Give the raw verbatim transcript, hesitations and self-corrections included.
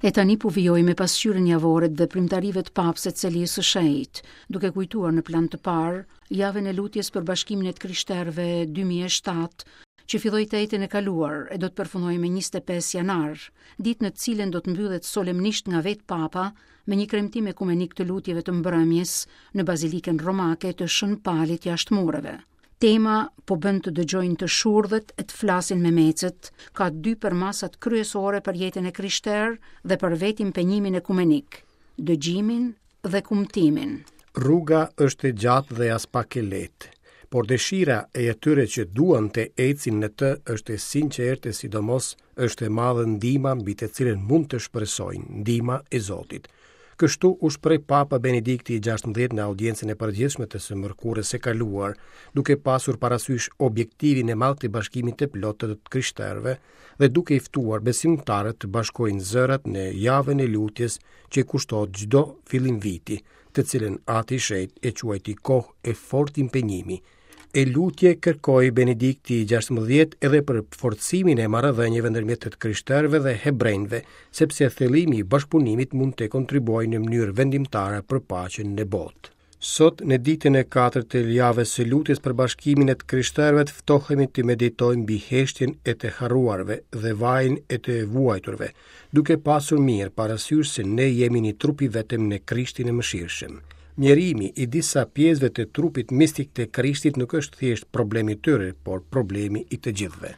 E tani po vijoj me pasqyrën javore të veprimtarive të papës të Selisë së Shenjtë, duke kujtuar në plan të parë javën e lutjes për bashkimin e të krishterëve dy mijë e shtatë, që filloi të enjten e kaluar e do të përfundojë me njëzet e pesë janar, ditë në të cilën do të mbyllet solemnisht nga vetë Papa me një kremtim ekumenik të lutjeve të mbrëmjes në Bazilikën Romake të Shën Palit jashtë mureve. Tema po bën të dëgjojnë të shurdhët e të flasin me mecët, ka dy përmasat kryesore për jetën e krishterë dhe për vetë impenjimin ekumenik, dëgjimin dhe kumtimin. Rruga është e gjatë dhe aspak e lehtë, por dëshira e atyre që duan të ecin në të është e sinqertë e sidomos është e madhe ndihma mbi të cilën mund të shpresojnë, ndihma e Zotit. Kështu u shpreh Papa Benedikti i gjashtëmbëdhjetë në audiencën e përgjithshme të së mërkurës së kaluar, duke pasur parasysh objektivin e madh të bashkimit të plotë të krishterëve dhe duke i ftuar besimtarët të bashkojnë zërat në javën e lutjes që kushtohet çdo fillim viti, të cilën Ati i Shenjtë e quajti kohë e fortë impenjimi. E lutje kërkoi Benedikti i gjashtëmbëdhjetë edhe për forcimin e marrëdhënieve ndërmjet të krishterëve dhe hebrejve, sepse thellimi i bashkëpunimit mund të kontribuojë në mënyrë vendimtare për paqen në botë. Sot, në ditën e katërt të javës së lutjes për bashkimin e të krishterëve, të ftohemi të meditojmë mbi heshtjen e të harruarve dhe vajin e të vuajturve, duke pasur mirë parasysh se ne jemi një trup i vetëm në Krishtin e mëshirshëm. Mjerimi i disa pjesëve të trupit mistik të Krishtit nuk është thjesht problemi i tyre, por problemi i të gjithëve.